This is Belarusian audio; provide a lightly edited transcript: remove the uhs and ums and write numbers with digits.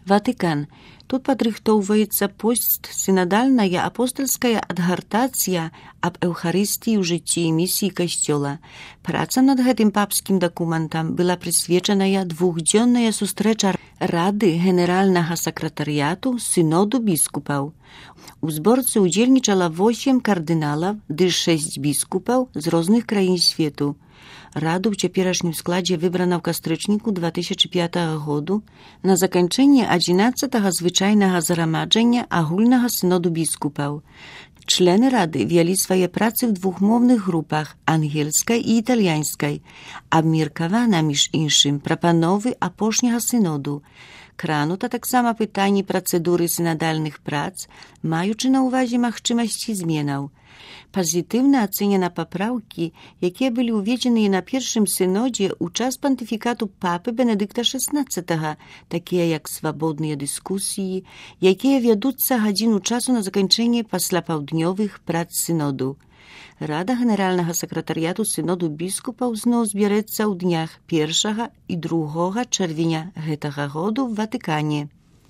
Ватыкан. Тут падрыхтоўваецца постсінадальная апостальская адгартацыя аб Эўхарыстыі ў жыцці і місіі касцёла. Праца над гэтым папскім дакументам была прысвечаная двухдзённая сустрэча Рады генеральнага сакратарыяту сыноду біскупаў. У зборцы ўдзельнічала 8 кардыналаў ды 6 біскупаў з розных краін свету. Раду ў цяперашнім складзе выбрана ў кастрычніку 2005 году на заканчэнне 11-го звычайнага зарамаджання агульнага сыноду біскупаў. Члены рады вялі свае працы ў двухмоўных групах ангельскай і італьянскай. Абмеркавана, між іншым, прапановы апошняга сыноду. Кранута таксама пытанні працэдуры сінадальных прац, маючы на ўвазе магчымасці зменаў. Пазітыўна ацэнена папраўкі, якія былі ўведзеныя на першым сынодзе ў час пантыфікату папы Бенедыкта XVI, такія як свабодныя дыскусіі, якія вядуцца гадзіну часу на заканчэнне паслапаўднёвых прац сыноду. Рада генеральнага сакратарыяту сыноду біскупаў зноў збярэцца ў днях 1 і 2 чэрвеня гэтага году ў Ватыкане.